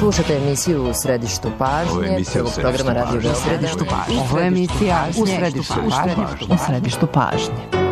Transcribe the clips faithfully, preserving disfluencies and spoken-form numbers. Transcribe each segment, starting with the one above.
Slušate emisiju U središtu pažnje, prvog programa Radio Beograd. Ovo je emisija U središtu pažnje. U središtu pažnje.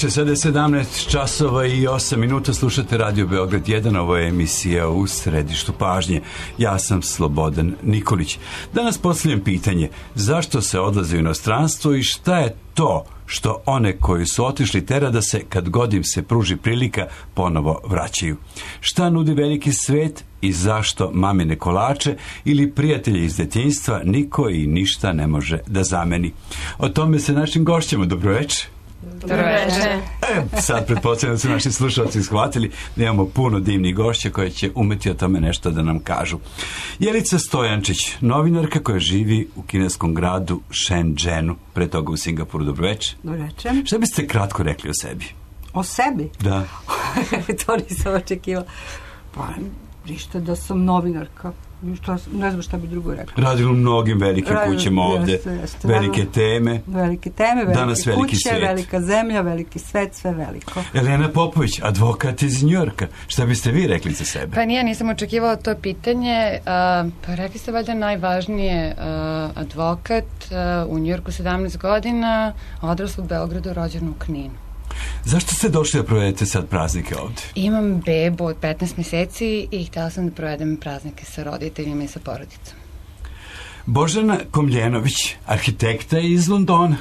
Sada je sedamnaest časova i osam minuta, slušate Radio Beograd jedan, ovo je emisija U središtu pažnje. Ja sam Slobodan Nikolić. Danas postavljam pitanje, zašto se odlaze u inostranstvo i šta je to što one koji su otišli tera da se, kad god im se pruži prilika, ponovo vraćaju? Šta nudi veliki svet i zašto mamine kolače ili prijatelji iz detinjstva niko i ništa ne može da zameni? O tome se našim gošćama. Dobroveče. Dobroveče. E, sad pretpostavljam da su naši slušalci shvatili da imamo puno divnih gošća koje će umeti o tome nešto da nam kažu. Jelica Stojančić, novinarka koja živi u kineskom gradu Shenzhenu, pre toga u Singapuru. Dobroveče. Dobroveče. Šta biste kratko rekli o sebi? O sebi? Da. To nisam očekivala. Pa, ništa da sam novinarka. Šta, ne znam šta bi drugo rekla. Radili u mnogim velikim Radili, kućama ovde. Jeste, jeste. Velike teme. Velike teme, velike Danas veliki kuće, svet. velika zemlja, veliki svet, sve veliko. Elena Popović, advokat iz Njujorka. Šta biste vi rekli za sebe? Pa nije, nisam očekivala to pitanje. Uh, pa rekli ste valjda najvažnije, uh, advokat uh, u Njujorku sedamnaest godina, odrasla u Beogradu, rođena u Kninu. Zašto ste došli da provedete sad praznike ovde? Imam bebu od petnaest meseci i htjela sam da provedem praznike sa roditeljima i sa porodicom. Božana Komljenović, arhitekta iz Londona.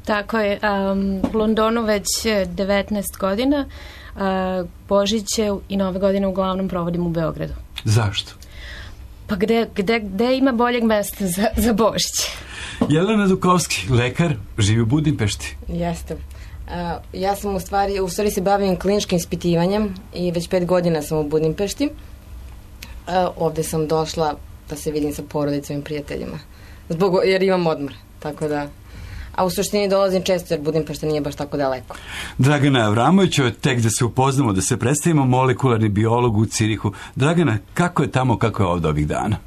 Tako je, um, u Londonu već devetnaest godina, uh, Božiće i Nove godine uglavnom provodim u Beogradu. Zašto? Pa gde, gde, gde ima boljeg mesta za, za Božić? Jelena Dukovski, lekar, živi u Budimpešti. Jeste. Uh, ja sam u stvari, u stvari se bavim kliničkim ispitivanjem i već pet godina sam u Budimpešti. Uh, ovde sam došla da se vidim sa porodicom i prijateljima. Zbog, jer imam odmor, tako da... A u suštini dolazim često jer Budimpešta nije baš tako daleko. Dragana Avramović, tek da se upoznamo, da se predstavimo, molekularni biolog u Cirihu. Dragana, kako je tamo, kako je ovde ovih dana?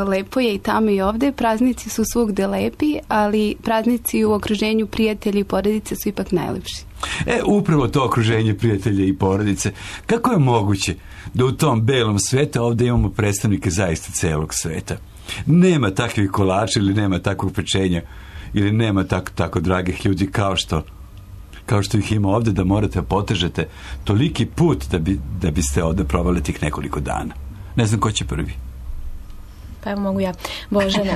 Lepo je i tamo i ovde, praznici su svugde lepi, ali praznici u okruženju prijatelja i porodice su ipak najlepši. E, upravo to okruženje prijatelja i porodice. Kako je moguće da u tom belom svetu ovde imamo predstavnike zaista celog sveta? Nema takvih kolača ili nema takvog pečenja ili nema tako, tako dragih ljudi kao što kao što ih ima ovde, da morate potežete toliki put da, bi, da biste ovde provali tih nekoliko dana. Ne znam ko će prvi. Pa evo mogu ja. Božana.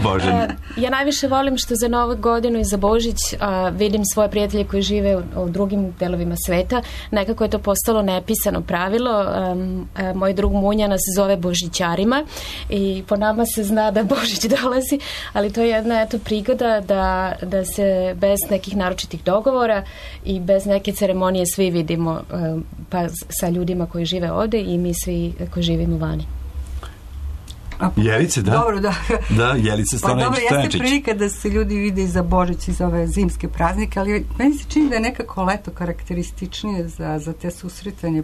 Božana. Ja najviše volim što za Novu godinu i za Božić a, vidim svoje prijatelje koji žive u, u drugim delovima sveta. Nekako je to postalo nepisano pravilo. A, a, moj drug Munja nas zove Božićarima i po nama se zna da Božić dolazi, ali to je jedna eto prigoda da, da se bez nekih naročitih dogovora i bez neke ceremonije svi vidimo a, pa sa ljudima koji žive ovde i mi svi koji živimo vani. Jelice, da. Dobro, da. Da, Jelice Stojančić. Pa dobro, jeste prilika da se ljudi vide i za Božić i za ove zimske praznike, ali meni se čini da je nekako leto karakterističnije za, za te susretanje,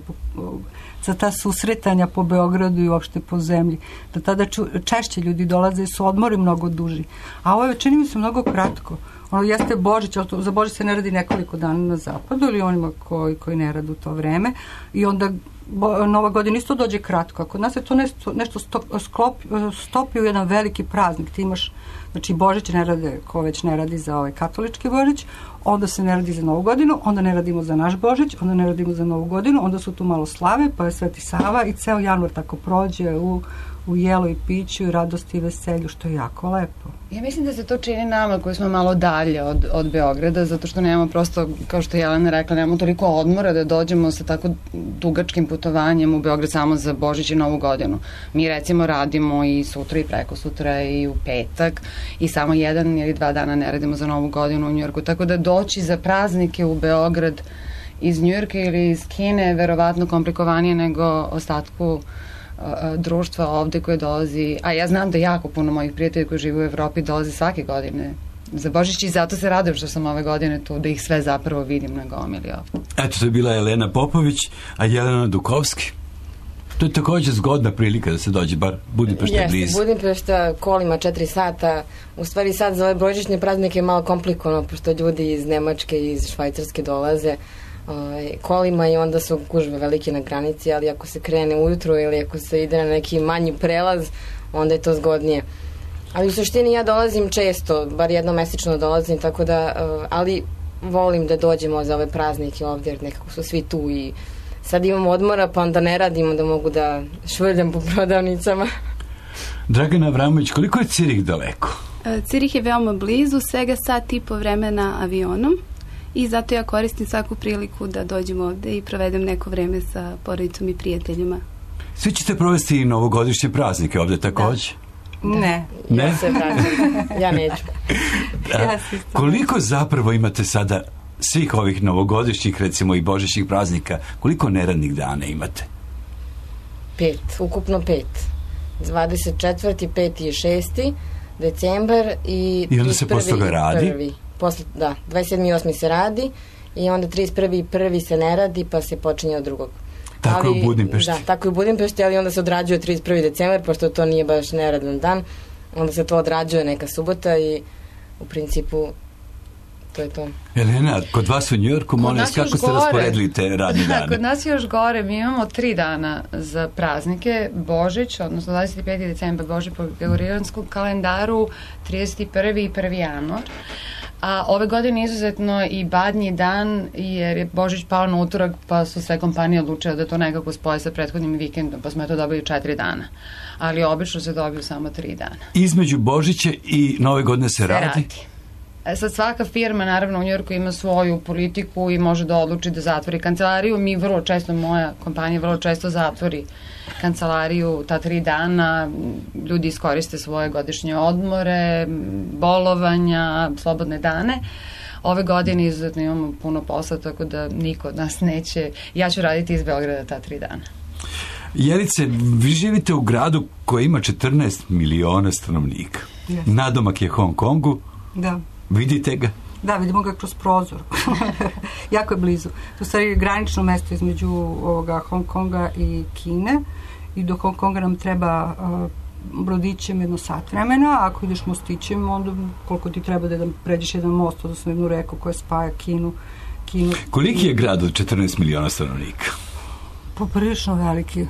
za ta susretanja po Beogradu i uopšte po zemlji. Da tada ču, češće ljudi dolaze i su odmori mnogo duži. A ovo je, čini mi se, mnogo kratko. Ono jeste Božić, ali to, za Božić se ne radi nekoliko dana na zapadu ili onima koji, koji ne rade u to vreme. I onda Bo, Nova godina isto dođe kratko. Kod nas je to nešto, nešto stop, sklop, stopi u jedan veliki praznik. Ti imaš, znači Božić ne rade, ko već ne radi za ovaj katolički Božić, onda se ne radi za Novu godinu, onda ne radimo za naš Božić, onda ne radimo za Novu godinu, onda su tu malo slave, pa je Sveti Sava i ceo januar tako prođe u, u jelu i piću i radosti i veselju, što je jako lepo. Ja mislim da se to čini nama koji smo malo dalje od, od Beograda, zato što nemamo prosto, kao što je Jelena rekla, nemamo toliko odmora da dođemo sa tako dugačkim putovanjem u Beograd samo za Božić i Novu godinu. Mi recimo radimo i sutra i preko sutra i u petak i samo jedan ili dva dana ne radimo za Novu godinu u Njujorku, tako da doći za praznike u Beograd iz Njujorka ili iz Kine je verovatno komplikovanije nego ostatku društva ovde koje dolazi, a ja znam da jako puno mojih prijatelja koji žive u Evropi dolaze svake godine za Božić i zato se radujem što sam ove godine tu, da ih sve zapravo vidim na gomili ovde. Eto, to je bila Jelena Popović, a Jelena Dukovski. To je također zgodna prilika da se dođe, bar Budimpešta je blizu. Jeste, Budimpešta kolima četiri sata, u stvari sad za ove božićne praznike je malo komplikovano, pošto ljudi iz Nemačke i iz Švajcarske dolaze kolima i onda su gužve velike na granici, ali ako se krene ujutro ili ako se ide na neki manji prelaz, onda je to zgodnije. Ali u suštini ja dolazim često, bar jednomesečno dolazim, tako da, ali volim da dođemo za ove praznike ovdje, jer nekako su svi tu i sad imamo odmora, pa onda ne radimo da mogu da švrljam po prodavnicama. Dragana Avramović, koliko je Cirih daleko? Cirih je veoma blizu, svega sat i po vremena avionom. I zato ja koristim svaku priliku da dođem ovde i provedem neko vreme sa porodicom i prijateljima. Svi ćete provesti i novogodišnje praznike ovde takođe? Da. Ne. Ne? Ja se vraćam. Ja neću. Ja koliko zapravo imate sada svih ovih novogodišnjih, recimo i božićnih praznika, koliko neradnih dana imate? Pet, ukupno pet. dvadeset četvrti, peti i šesti decembar i I onda se posle toga radi? Prvi. Posle, da, dvadeset sedmi i osmi se radi i onda trideset prvi i prvi se ne radi, pa se počinje od drugog. Tako ali, je u Budimpešti. Da, tako je u Budimpešti, ali onda se odrađuje trideset prvi decembar, pošto to nije baš neradan dan, onda se to odrađuje neka subota i u principu to je to. Jelena, kod vas u Njujorku, molim vas, kako ste rasporedili te radne dane? Kod nas je još gore, mi imamo tri dana za praznike, Božić, odnosno dvadeset peti decembar, Božić po gregorijanskom kalendaru, trideset prvi i prvi januar. A ove godine izuzetno i badnji dan, jer je Božić pao na utorak, pa su sve kompanije odlučile da to nekako spoje sa prethodnim vikendom, pa smo to dobili četiri dana. Ali obično se dobiju samo tri dana. Između Božića i Nove godine se, se radi? radi. E sad svaka firma, naravno u Njujorku ima svoju politiku i može da odluči da zatvori kancelariju. Mi vrlo često, moja kompanija vrlo često zatvori kancelariju ta tri dana, ljudi iskoriste svoje godišnje odmore, bolovanja, slobodne dane. Ove godine izuzetno imamo puno posla, tako da niko od nas neće, ja ću raditi iz Beograda ta tri dana. Jelice, vi živite u gradu koji ima četrnaest miliona stanovnika. Yes. Nadomak je Hong Kongu. Da. Vidite ga? Da, vidimo ga kroz prozor. Jako je blizu. To je granično mesto između ovoga Hong Konga i Kine i do Hong Konga nam treba uh, brodićem jedno sat vremena, a ako ideš mostićem, onda koliko ti treba da, da pređeš jedan most, odnosno jednu reku koja spaja Kinu. Kinu Koliki je grad od četrnaest miliona stanovnika? Poprilično veliki.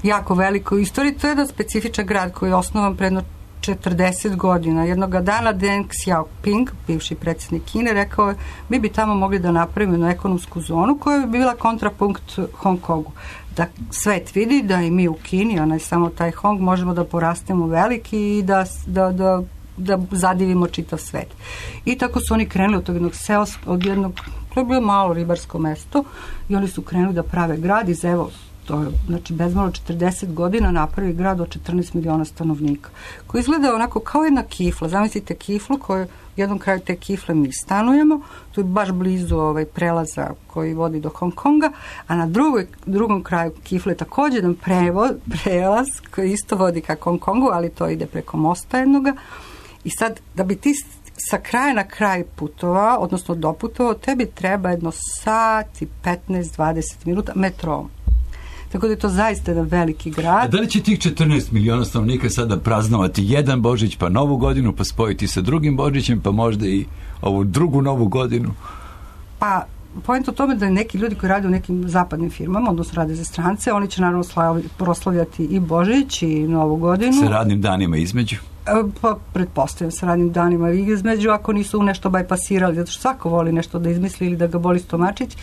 Jako veliko. U istoriji to je jedan specifičan grad koji je osnovan predno četrdeset godina. Jednoga dana Deng Xiaoping, bivši predsjednik Kine, rekao je, mi bi tamo mogli da napravimo jednu ekonomsku zonu koja bi bila kontrapunkt Hong Kongu. Da svet vidi da i mi u Kini, a ne samo taj Hong, možemo da porastemo veliki i da, da, da, da zadivimo čitav svet. I tako su oni krenuli od tog jednog seoskog, od jednog, to je bilo malo ribarsko mesto, i oni su krenuli da prave grad iz, evo, to je, znači, bezmalo četrdeset godina napravi grad od četrnaest miliona stanovnika, koji izgleda onako kao jedna kifla. Zamislite kiflu koju, u jednom kraju te kifle mi stanujemo, tu je baš blizu ovaj prelaza koji vodi do Hong Konga, a na drugoj, drugom kraju kifle također jedan prevo, prelaz koji isto vodi ka Hong Kongu, ali to ide preko mosta jednoga. I sad, da bi ti sa kraja na kraj putovao, odnosno doputovao, tebi treba jedno sat i petnaest do dvadeset minuta metrom. Tako da je to zaista jedan veliki grad. A da li će tih četrnaest miliona stanovnika sada praznovati jedan Božić, pa novu godinu, pa spojiti sa drugim Božićem, pa možda i ovu drugu novu godinu? Pa, point o tome da neki ljudi koji rade u nekim zapadnim firmama, odnosno rade za strance, oni će naravno slavi, proslavljati i Božić i novu godinu. Sa radnim danima između? Pa, pretpostavljam sa radnim danima između, ako nisu nešto bajpasirali, zato što svako voli nešto da izmisli ili da ga boli stomačić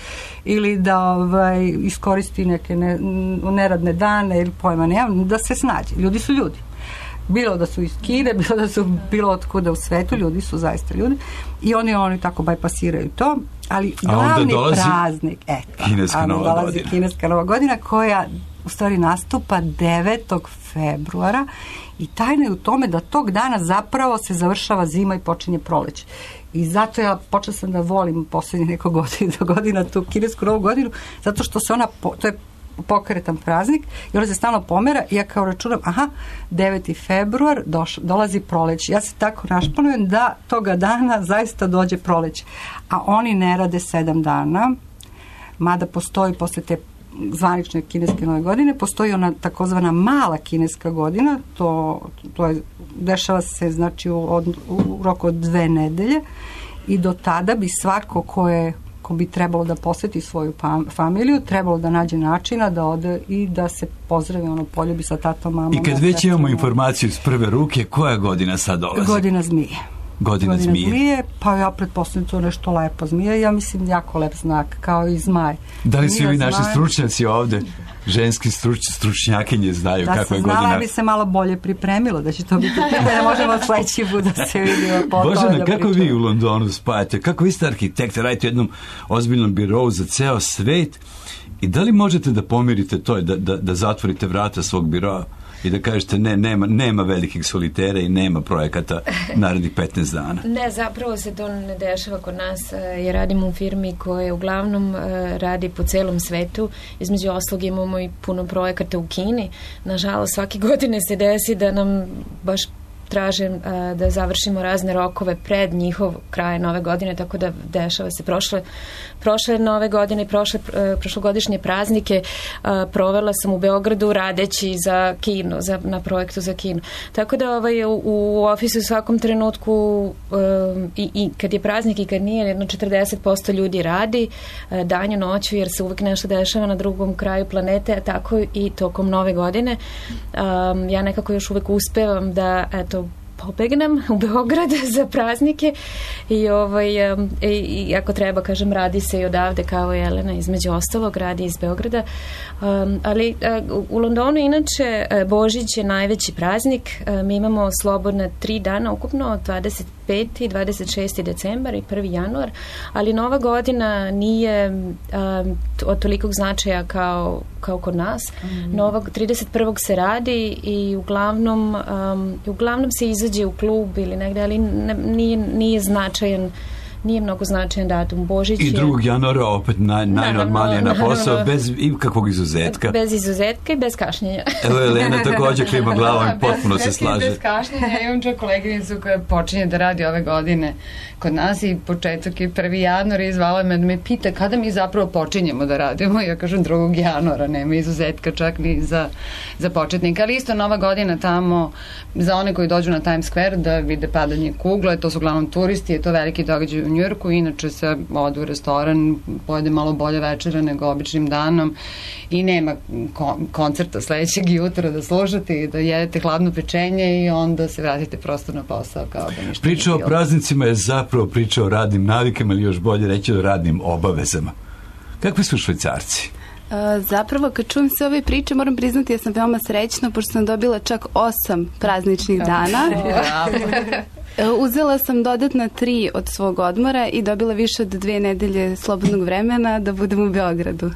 ili da ovaj, iskoristi neke ne, neradne dane ili pojma nemam, da se snađe. Ljudi su ljudi. Bilo da su iz Kine, bilo da su bilo otkuda u svetu, ljudi su zaista ljudi i oni oni tako bajpasiraju to, ali glavni praznik, eto, kineska nova godina. Kineska nova godina koja u stvari nastupa devetog februara i tajna je u tome da tog dana zapravo se završava zima i počinje proleće. I zato ja počela sam da volim posljednjih nekog godina, godina tu kinesku novu godinu, zato što se ona, to je pokretan praznik i ona se stalno pomera i ja kao računam, aha, deveti februar doš, dolazi proleće. Ja se tako našpanujem da toga dana zaista dođe proleće. A oni ne rade sedam dana, mada postoji posle te zvanične kineske nove godine, postoji ona takozvana mala kineska godina, to, to je, dešava se znači u, od, u roku od dve nedelje i do tada bi svako ko je ko bi trebalo da poseti svoju familiju, trebalo da nađe načina da ode i da se pozdravi, ono, poljubi sa tatom, mamom. I kad već imamo informaciju iz prve ruke, koja godina sad dolazi? Godina zmije. Godina, Godina zmije. zmije. Pa ja pretpostavljam to nešto lepo zmije. Ja mislim jako lep znak, kao i zmaj. Da li svi ovi naši stručnjaci ovde, ženski struč, stručnjakinje znaju da kakva je godina? Da se znala bi se malo bolje pripremilo, da će to biti pitanje, možemo sledeći put da se vidimo. Božena, da kako vi u Londonu spajate? Kako vi ste arhitekte, radite u jednom ozbiljnom birovu za ceo svet i da li možete da pomirite to, da, da, da zatvorite vrata svog biroa i da kažete ne, nema, nema velikih solitera i nema projekata narednih petnaest dana? Ne, zapravo se to ne dešava kod nas. Ja radim u firmi koja uglavnom radi po celom svetu. Između oslog imamo i puno projekata u Kini. Nažalost, svake godine se desi da nam baš traže a, da završimo razne rokove pred njihov kraj nove godine, tako da dešava se prošle, prošle nove godine i prošle, prošlogodišnje praznike a, provela sam u Beogradu radeći za kino, za, na projektu za kino. Tako da ovaj, u, u ofisu u svakom trenutku a, i, i kad je praznik i kad nije, jedno četrdeset posto ljudi radi a, danju, noću, jer se uvek nešto dešava na drugom kraju planete, a tako i tokom nove godine. A, ja nekako još uvek uspevam da, eto, pobegnem u Beograd za praznike i, ovaj, um, i, i ako treba, kažem, radi se i odavde kao Jelena, između ostalog, radi iz Beograda. Um, ali uh, u Londonu inače uh, Božić je najveći praznik. Uh, mi imamo slobodna tri dana ukupno, dvadeset peti i dvadeset šesti decembar i prvi januar, ali Nova godina nije um, od tolikog značaja kao, kao kod nas. Mm. Novog trideset prvog se radi i uglavnom, um, uglavnom se izađe u klub ili negde, ali ne, nije, nije značajan, nije mnogo značajan datum. Božić I drugog januara opet naj, najnormalnije na posao, naravno, bez ikakvog izuzetka. Bez izuzetka i bez kašnjenja. Evo Elena također klima glavom i potpuno se slaže. Bez kašnjenja. Ja imam čak koleginicu koja počinje da radi ove godine kod nas i početak je prvi januar i zvala me da me pita kada mi zapravo počinjemo da radimo. Ja kažem drugog januara, nema izuzetka čak ni za, za početnika. Ali isto Nova godina tamo za one koji dođu na Times Square da vide padanje kugle, to su uglavnom turisti, je to veliki događaj u Njujorku, inače se ode u restoran, pojede malo bolje večera nego običnim danom i nema kon- koncerta sledećeg jutra da slušate i da jedete hladno pečenje i onda se vratite prosto na posao kao da ništa. Priča o praznicima je zapravo priča o radnim navikama ili još bolje reći o radnim obavezama. Kakvi su Švajcarci? Uh, zapravo, kad čujem sve ove priče, moram priznati, ja sam veoma srećna, pošto sam dobila čak osam prazničnih dana. Uzela sam dodatna tri od svog odmora i dobila više od dve nedelje slobodnog vremena da budem u Beogradu.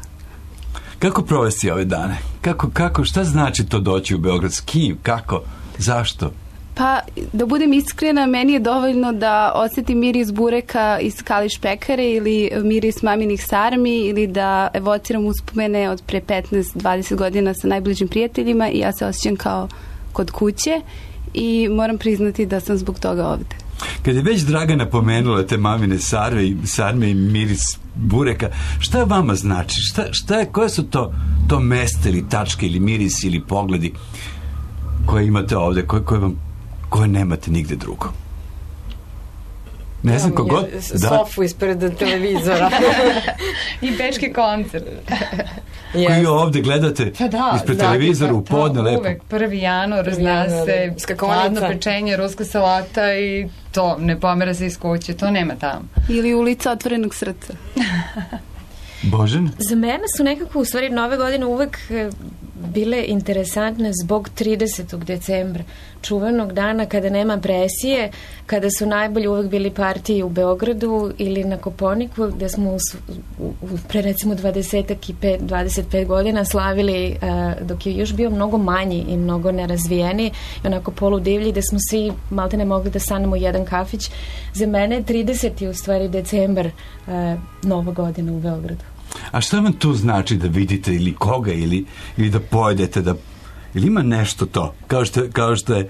Kako provesti ove dane? Kako, kako, šta znači to doći u Beograd? S kim? Kako? Zašto? Pa, da budem iskrena, meni je dovoljno da osjetim miris bureka iz Kališ pekare ili miris maminih sarmi ili da evociram uspomene od pre petnaest dvadeset godina sa najbližim prijateljima i ja se osjećam kao kod kuće i moram priznati da sam zbog toga ovde. Kad je već Dragana pomenula te mamine sarme i, sarme i miris bureka, šta vama znači? Šta, šta je, koje su to, to mesta ili tačke ili mirisi ili pogledi koje imate ovde, koje, koje vam koje nemate nigde drugo? Ne znam kogod... Da. Sofu ispred televizora. I bečki koncert. Koji ovde gledate pa da, ispred da, televizora da, u podne lepo. Uvek prvi januar zna se hladno pečenje, ruska salata i to ne pomera se iz kuće. To nema tamo. Ili ulica otvorenog srca. Božan? Za mene su nekako u stvari nove godine uvek bile interesantne zbog tridesetog decembra, čuvenog dana kada nema presije, kada su najbolji uvek bili partiji u Beogradu ili na Koponiku, gde smo u, u, pre recimo dvadeset i pet, dvadeset pet godina slavili uh, dok je još bio mnogo manji i mnogo nerazvijeni i onako poludivlji, gde smo svi malte ne mogli da stanemo u jedan kafić. Za mene je trideseti u stvari decembar uh, nova godina u Beogradu. A šta vam tu znači da vidite ili koga ili, ili da pojedete, da, ili ima nešto to, kao što, kao što je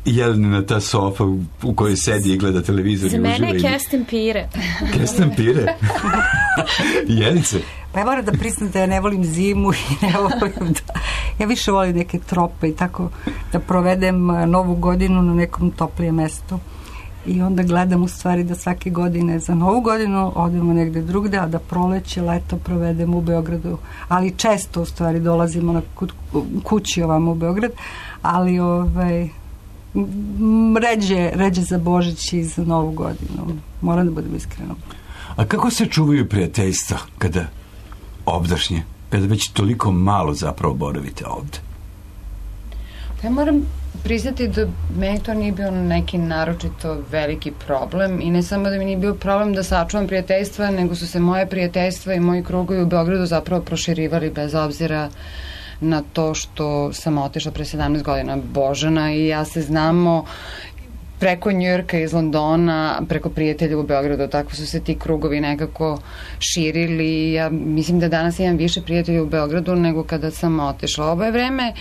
Jelenina ta sofa u, u kojoj sedi i gleda televizor. Za mene je kesten pire. Kesten pire? Jelice? Pa ja moram da priznam da ja ne volim zimu i ne volim da... Ja više volim neke trope i tako da provedem novu godinu na nekom toplijem mestu. I onda gledam u stvari da svake godine za novu godinu odemo negde drugde, a da proleće, leto provedemo u Beogradu. Ali često u stvari dolazimo na kući ovamo u Beograd, ali ovaj, ređe, ređe za Božić i za novu godinu. Moram da budem iskrena. A kako se čuvaju prijateljstva kada ovdašnje, kada već toliko malo zapravo boravite ovde? Ja moram priznati da meni to nije bio neki naročito veliki problem i ne samo da mi nije bio problem da sačuvam prijateljstva, nego su se moje prijateljstva i moji krugovi u Beogradu zapravo proširivali bez obzira na to što sam otišla pre sedamnaest godina. Božana i ja se znamo preko Njujorka iz Londona, preko prijatelja u Beogradu, tako su se ti krugovi nekako širili. Ja mislim da danas imam više prijatelja u Beogradu nego kada sam otišla. Ovo je vreme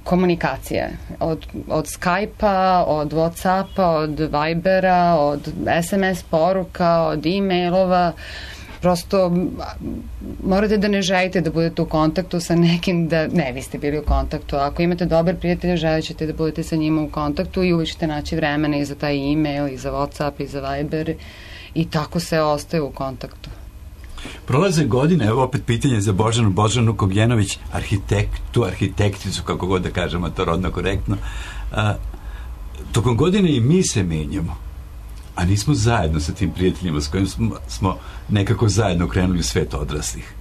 komunikacije od, od Skype-a, od Whatsappa, od Vibera, od es em es poruka, od e-mailova. Prosto morate da ne želite da budete u kontaktu sa nekim, da ne, vi ste bili u kontaktu. Ako imate dobar prijatelja, želit ćete da budete sa njima u kontaktu i uvijek ćete naći vremena i za taj e-mail, i za Whatsapp, i za Viber i tako se ostaje u kontaktu. Prolaze godine, evo opet pitanje za Božanu, Božanu Kogljenović, arhitektu, arhitekticu, kako god da kažemo, to rodno korektno. A, tokom godine i mi se menjamo, a nismo zajedno sa tim prijateljima s kojim smo, smo nekako zajedno krenuli u svet odraslih.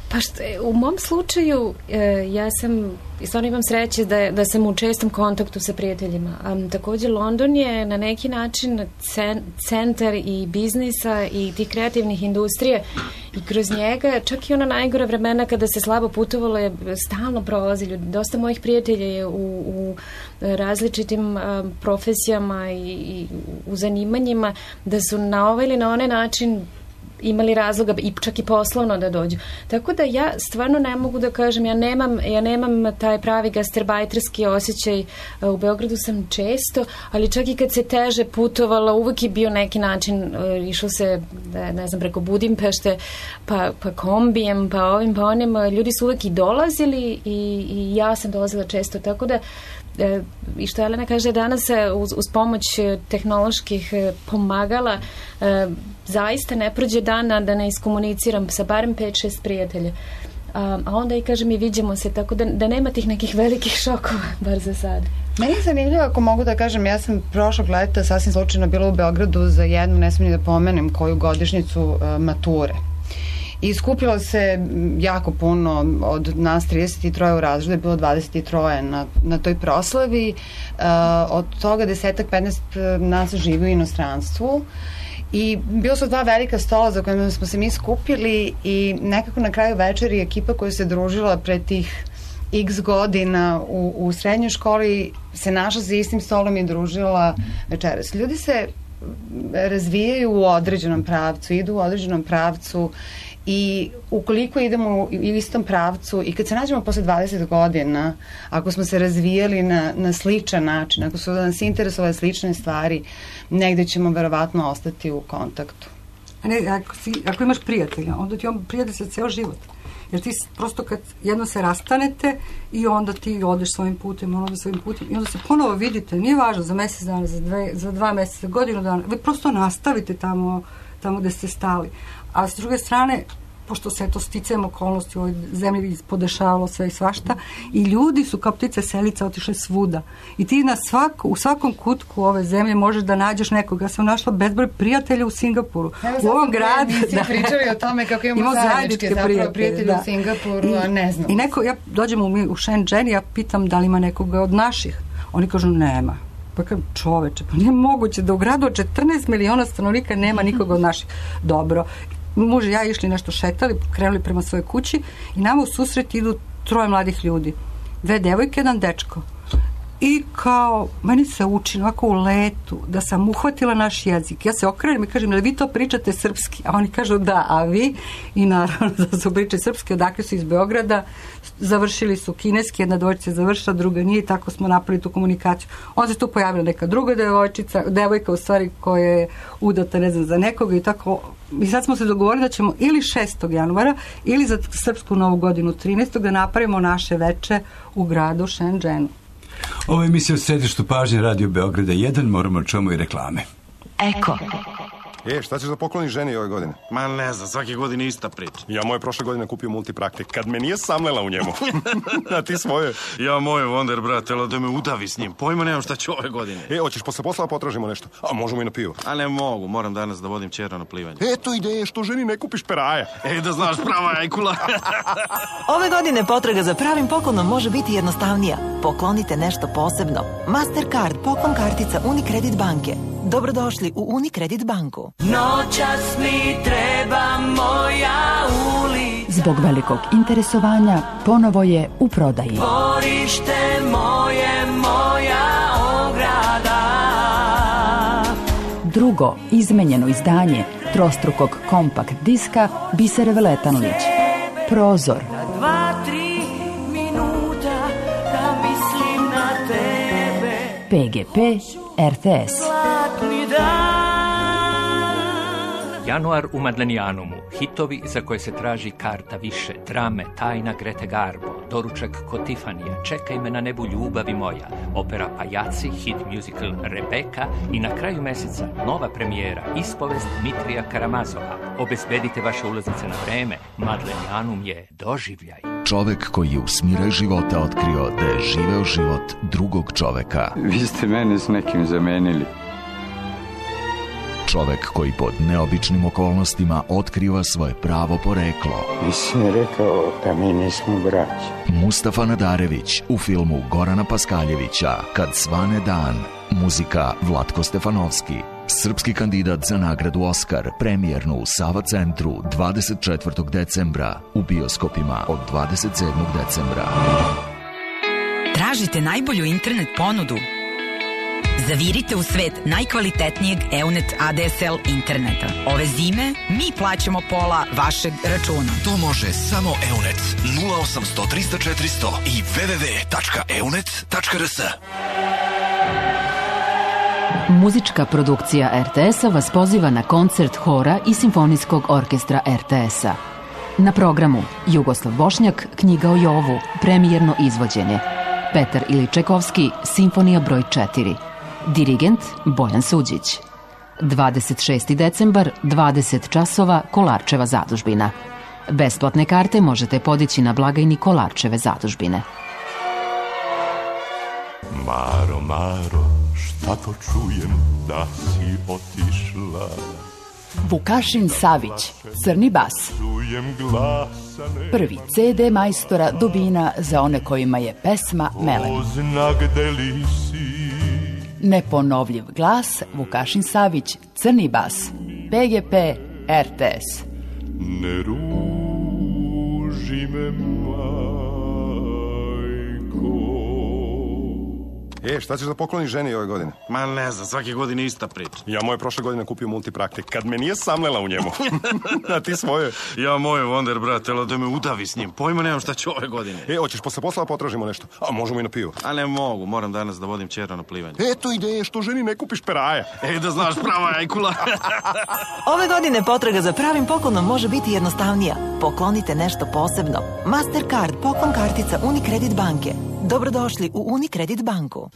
Pa što, u mom slučaju e, ja sam, stvarno imam sreće da, da sam u čestom kontaktu sa prijateljima. A, također London je na neki način cen, centar i biznisa i tih kreativnih industrije i kroz njega čak i ona najgora vremena kada se slabo putovalo je stalno prolazi ljudi. Dosta mojih prijatelja je u, u različitim a, profesijama i, i u zanimanjima da su na ovaj ili na onaj način imali razloga i čak i poslovno da dođu. Tako da ja stvarno ne mogu da kažem, ja nemam, ja nemam taj pravi gastarbajterski osjećaj. U Beogradu sam često, ali čak i kad se teže putovala, uvek je bio neki način, išlo se, ne znam, preko Budimpešte, pa, pa kombijem, pa ovim, pa onim, ljudi su uvek i dolazili i, i ja sam dolazila često, tako da E, i što Jelena kaže danas uz, uz pomoć tehnoloških pomagala e, zaista ne prođe dana da ne iskomuniciram sa barem pet šest prijatelja, a, a onda i kažem i viđemo se, tako da, da nema tih nekih velikih šokova bar za sad. Meni je zanimljivo, ako mogu da kažem, ja sam prošlog leta sasvim slučajno bila u Beogradu za jednu, ne smijem da pomenem koju godišnjicu uh, mature. I skupilo se jako puno od nas trideset tri u razredu, je bilo dvadeset tri na, na toj proslavi. Uh, od toga desetak petnaest nas živi u inostranstvu I bilo su dva velika stola za kojima smo se mi skupili i nekako na kraju večeri ekipa koja se družila pre tih x godina u, u srednjoj školi se našla za istim stolom i družila večeras. Ljudi se razvijaju u određenom pravcu, idu u određenom pravcu i ukoliko idemo u istom pravcu i kad se nađemo posle dvadeset godina, ako smo se razvijali na, na sličan način, ako su nas interesovale slične stvari, negde ćemo verovatno ostati u kontaktu. A ne, ako, si, ako imaš prijatelja, onda ti on prijatelj za ceo život. Jer ti prosto kad jedno se rastanete i onda ti odeš svojim putem, ono da svojim putem i onda se ponovo vidite, nije važno za mesec dana, za, dve, za dva meseca, za godinu dana, vi prosto nastavite tamo, tamo gde ste stali. A s druge strane, pošto se to sticajem okolnosti u ovoj zemlji podešavalo sve i svašta i ljudi su kao ptice selice otišle svuda i ti na svako, u svakom kutku ove zemlje možeš da nađeš nekog. Ja sam našla bezbroj prijatelja u Singapuru, Evo, u ovom gradu. Mi da. pričali o tome kako imamo zajedničke zapravo prijatelje da. u Singapuru, I, a ne znam. I neko, ja dođem u, u Shenzhen i ja pitam da li ima nekoga od naših. Oni kažu nema. Pa kažem, čoveče, pa nije moguće da u gradu od četrnaest miliona stanovnika nema nikoga od naših. Dobro. Muž i ja išli nešto šetali, krenuli prema svojoj kući i nama u susret idu troje mladih ljudi. Dve devojke, jedan dečko. I kao, meni se učini ovako u letu da sam uhvatila naš jezik. Ja se okrenem i kažem, ali vi to pričate srpski? A oni kažu da, a vi? I naravno da su pričali srpski, odakle su iz Beograda, završili su kineski, jedna dvojčica je završila, druga nije i tako smo napravili tu komunikaciju. Onda se tu pojavila neka druga devojčica, devojka u stvari koja je udata, ne znam, za nekoga i tako. I sad smo se dogovorili da ćemo ili šestog januara ili za srpsku novu godinu trinaestog da napravimo naše veče u gradu Shenzhenu. Ovo je emisija u središtu pažnje Radio Beograda jedan, moramo čujemo i reklame. Eko. E, šta ćeš da pokloniš ženi ove godine? Ma ne znam, svake godine ista priča. Ja moje prošle godine kupio multipraktik, kad me nije samlela u njemu. A ti svoje? Ja moje Wonder, brate, ali da me udavi s njim. Pojma nemam šta ću ove godine. E, hoćeš posle posla potražimo nešto? A možemo i na pivo. A ne mogu, moram danas da vodim ćera na plivanje. Eto ideje, što ženi ne kupiš peraja. E, da znaš, prava jajkula. Ove godine potraga za pravim poklonom može biti jednostavnija. Poklonite nešto posebno. Mastercard, poklon kartica Unicredit banke. Dobrodošli u Unicredit banku. Noćas mi treba moja ulica. Zbog velikog interesovanja ponovo je u prodaji. Dvorište moje, moja ograda. Drugo izmenjeno izdanje trostrukog kompakt diska Bisere Veletanlić. Prozor. Dva, tri minuta da mislim na tebe. P G P R T S. Januar u Madlenijanumu. Hitovi za koje se traži karta više. Drame, Tajna Grete Garbo, Doručak kod Tifanija, Čekaj me na nebu ljubavi moja, opera Pajaci, hit musical Rebeka i na kraju meseca nova premijera, ispovest Dmitrija Karamazova. Obezbedite vaše ulaznice na vreme. Madlenijanum je doživljaj. Čovek koji je u smiraj života otkrio da je živeo život drugog čoveka. Vi ste mene s nekim zamenili. Čovek koji pod neobičnim okolnostima otkriva svoje pravo poreklo. Nisi mi rekao da mi nismo braći. Mustafa Nadarević u filmu Gorana Paskaljevića Kad svane dan. Muzika Vlatko Stefanovski. Srpski kandidat za nagradu Oskar, premijernu u Sava centru dvadeset četvrtog decembra, u bioskopima od dvadeset sedmog decembra. Tražite najbolju internet ponudu? Zavirite u svet najkvalitetnijeg Eunet A D S L interneta. Ove zime mi plaćamo pola vašeg računa. To može samo Eunet. nula osamsto trista četiristo i w w w tačka eunet tačka r s. Muzička produkcija R T S-a vas poziva na koncert hora i simfonijskog orkestra R T S-a. Na programu Jugoslav Bošnjak, Knjiga o Jovu, premijerno izvođenje. Petar Iličekovski, Simfonija broj četiri. Dirigent Bojan Suđić. dvadeset šesti decembar, dvadeset časova, Kolarčeva zadužbina. Besplatne karte možete podići na blagajni Kolarčeve zadužbine. Maro, Maro, šta to čujem da si otišla? Vukašin Savić, Crni bas. Prvi C D majstora Dubina za one kojima je pesma melem. Neponovljiv glas, Vukašin Savić, Crni bas. P G P R T S. Ne ruži me, E, šta ćeš da pokloniš ženi ove godine? Ma ne znam, svake godine ista priča. Ja moje prošle godine kupio multipraktik, kad me nije samlela u njemu. A ti svoje? Ja moje Wonder, brate, ali da me udavi s njim. Pojma nemam šta ću ove godine. E, hoćeš posle posla potražimo nešto? A možemo i na pivo. A ne mogu, moram danas da vodim ćera na plivanje. Eto ideje, što ženi ne kupiš peraja. Ej, da znaš, prava ajkula. Ove godine potraga za pravim poklonom može biti jednostavnija. Poklonite nešto posebno. Mastercard poklon kartica Unicredit banke. Dobrodošli u Unicredit banku.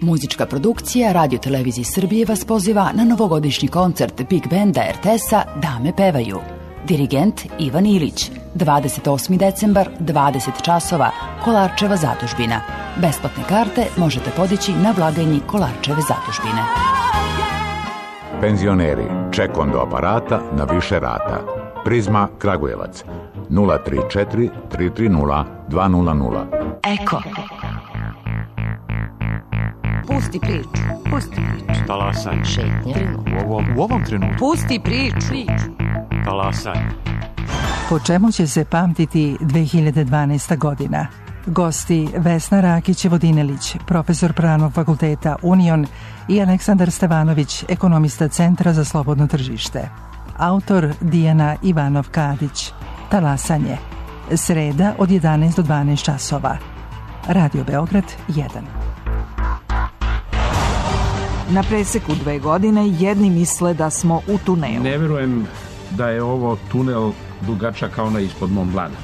Muzička produkcija Radio Televizije Srbije vas poziva na novogodišnji koncert Big Banda R T S-a Dame pevaju. Dirigent Ivan Ilić. dvadeset osmi decembar, dvadeset časova, Kolarčeva zadužbina. Besplatne karte možete podići na blagajni Kolarčeve zadužbine. Penzioneri, ček do aparata na više rata. Prizma Kragujevac nula tri četiri tri tri nula dva nula nula. Eko. Pusti priču. Pusti priču. Talasanje. Šetnje. U ovom, u ovom trenutku. Pusti priču. Talasanje. Po čemu će se pamtiti dve hiljade dvanaesta godina? Gosti Vesna Rakić-Vodinelić, profesor Pravnog fakulteta Union i Aleksandar Stevanović, ekonomista Centra za slobodno tržište. Autor Dijana Ivanov-Kadić. Talasanje. Sreda od jedanaest do dvanaest časova. Radio Beograd jedan. Na preseku dve godine jedni misle da smo u tunelu. Ne verujem da je ovo tunel dugačak kao na ispod Mont Blanc.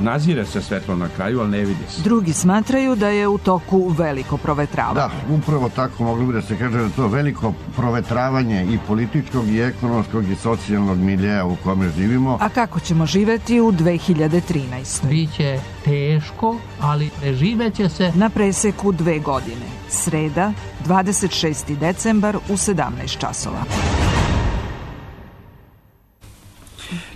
Nazire se svetlo na kraju, ali ne vidi se. Drugi smatraju da je u toku veliko provetravanje. Da, upravo tako mogli bi da se kaže da to veliko provetravanje i političkog i ekonomskog i socijalnog miljeja u kome živimo. A kako ćemo živeti u dve hiljade trinaestoj? Biće teško, ali preživeće se. Na preseku dve godine. Sreda, dvadeset šesti decembar u sedamnaest časova.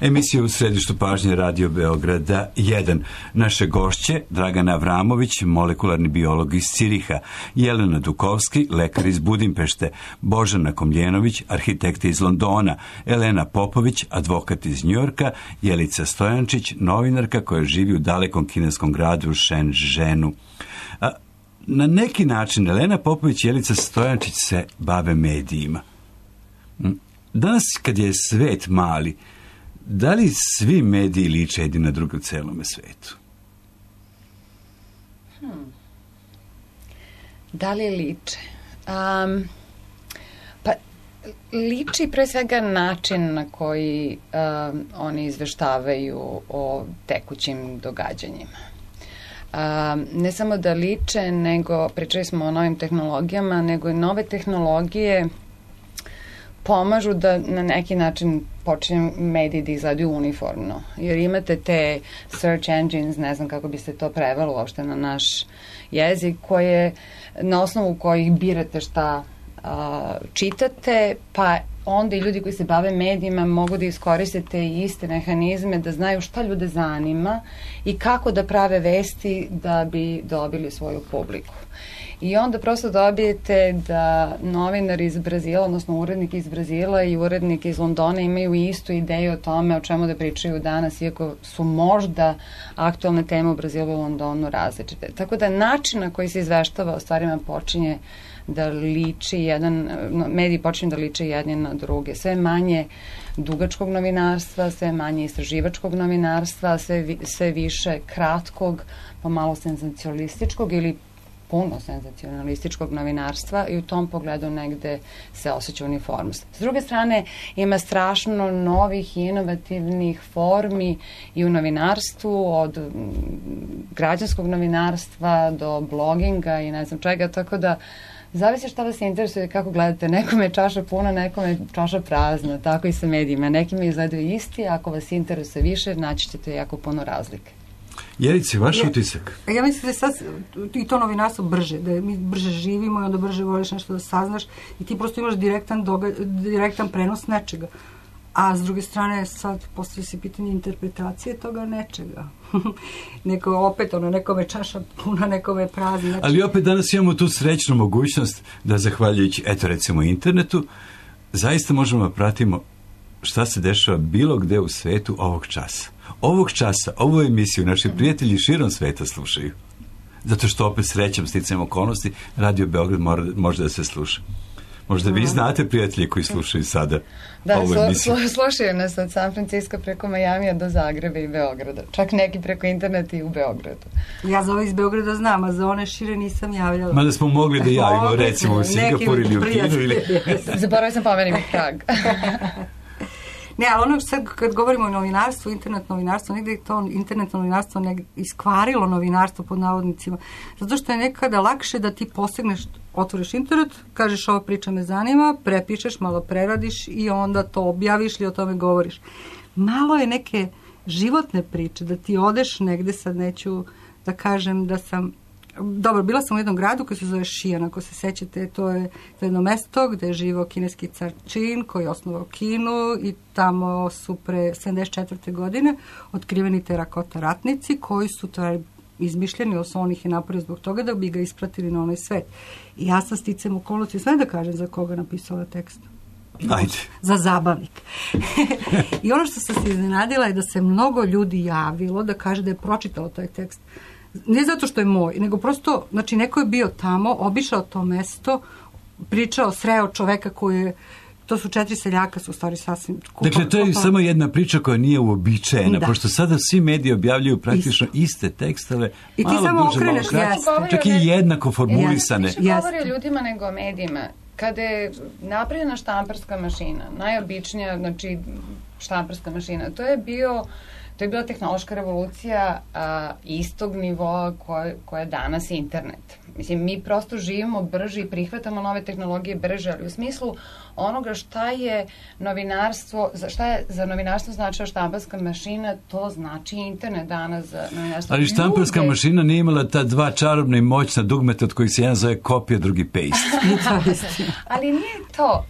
Emisija u središtu pažnje Radio Beograda jedan. Naše gošće Dragana Avramović, molekularni biolog iz Ciriha, Jelena Dukovski, lekar iz Budimpešte, Božana Komljenović, arhitekta iz Londona, Elena Popović, advokat iz Njujorka, Jelica Stojančić, novinarka koja živi u dalekom kineskom gradu Shenzhenu. A, na neki način Elena Popović i Jelica Stojančić se bave medijima. Danas kad je svet mali, da li svi mediji liče jedni na druge u celome svetu? Hmm. Da li liče? Um, pa, liči pre svega način na koji um, oni izveštavaju o tekućim događanjima. Um, ne samo da liče, nego, pričali smo o novim tehnologijama, nego i nove tehnologije pomažu da na neki način počinju mediji da izgledaju uniformno. Jer imate te search engines, ne znam kako bi se to prevelo uopšte na naš jezik, koje, na osnovu kojih birate šta a, čitate, pa onda i ljudi koji se bave medijima mogu da iskoriste te iste mehanizme da znaju šta ljude zanima i kako da prave vesti da bi dobili svoju publiku. I onda prosto dobijete da novinar iz Brazila, odnosno urednik iz Brazila i urednik iz Londona imaju istu ideju o tome o čemu da pričaju danas, iako su možda aktualne teme u Brazilu i Londonu različite. Tako da način na koji se izveštava o stvarima počinje da liči jedan, mediji počinju da liče jedni na druge. Sve manje dugačkog novinarstva, sve manje istraživačkog novinarstva, sve, vi, sve više kratkog, pa malo senzacionalističkog ili puno senzacionalističkog novinarstva i u tom pogledu negde se osjeća uniformnost. S druge strane, ima strašno novih i inovativnih formi i u novinarstvu, od građanskog novinarstva do bloginga i ne znam čega, tako da zavisi šta vas interesuje, kako gledate. Nekome je čaša puna, nekome je čaša prazna, tako i sa medijima. Nekima izgledaju isti, a ako vas interesuje više, naći ćete jako puno razlike. Jelice, vaš utisak? Ja mislim da je sad i to novinarstvo brže, da mi brže živimo i onda brže voliš nešto da saznaš i ti prosto imaš direktan, doga, direktan prenos nečega. A s druge strane sad postoji se pitanje interpretacije toga nečega. Neko opet ono, nekome čaša puna, nekome prazna. Znači... Ali opet danas imamo tu srećnu mogućnost da zahvaljujući, eto recimo internetu, zaista možemo da pratimo šta se dešava bilo gde u svetu ovog časa. Ovog časa, ovu emisiju naši prijatelji širom sveta slušaju. Zato što opet srećom, sticajem okolnosti, Radio Beograd mora, može da se sluša. Možda vi znate prijatelji koji slušaju sada da, ovu emisiju. Da, slušaju nas od San Francisco preko Majamija do Zagreba i Beograda. Čak neki preko interneta i u Beogradu. Ja za ove iz Beograda znam, a za one šire nisam javljala. Mada smo mogli da javimo, recimo u Singapur ili u Kinu. Ili... Zaboravim sam pomenim i Prag. Ne, ali ono sad kad govorimo o novinarstvu, internet novinarstvo, negdje je to internet novinarstvo negdje iskvarilo novinarstvo pod navodnicima. Zato što je nekada lakše da ti posegneš, otvoriš internet, kažeš ova priča me zanima, prepišeš, malo preradiš i onda to objaviš ili o tome govoriš. Malo je neke životne priče, da ti odeš negdje, sad neću da kažem da sam... Dobro, bila sam u jednom gradu koji se zove Šijan, ako se sećate, to je jedno mesto gde je živao kineski car Čin koji je osnovao Kinu i tamo su pre sedamdeset četvrte godine otkriveni terakota ratnici koji su to izmišljeni, odnosno on ih je napravio zbog toga da bi ga ispratili na onaj svet. I ja sam sticam okolnosti, sve da kažem za koga napisala tekst. Ajde. Za zabavnik. I ono što sam se iznenadila je da se mnogo ljudi javilo da kaže da je pročitalo taj tekst. Ne zato što je moj, nego prosto, znači neko je bio tamo, obišao to mesto, pričao, sreo čoveka koji je, to su četiri seljaka, su u stvari sasvim... Kupa, dakle, to je kupa. Samo jedna priča koja nije uobičajena, da. Pošto sada svi mediji objavljuju praktično Isto. iste tekstove, i ti malo samo duže, okreneš, malo kraće, čak i jednako formulisane. Više govori o ljudima nego o medijima. Kada je napravljena štamparska mašina, najobičnija, znači štamparska mašina, to je bio... To je bila tehnološka revolucija a, istog nivoa koje, koje je danas internet. Mislim, mi prosto živimo brže i prihvatamo nove tehnologije brže, ali u smislu onoga šta je novinarstvo, šta je za novinarstvo značila štamparska mašina, to znači internet danas za novinarstvo. Ali štamparska Ljude... mašina nije imala ta dva čarobna i moćna dugmeta od kojih se jedan zove kopija, drugi paste. Ali nije to.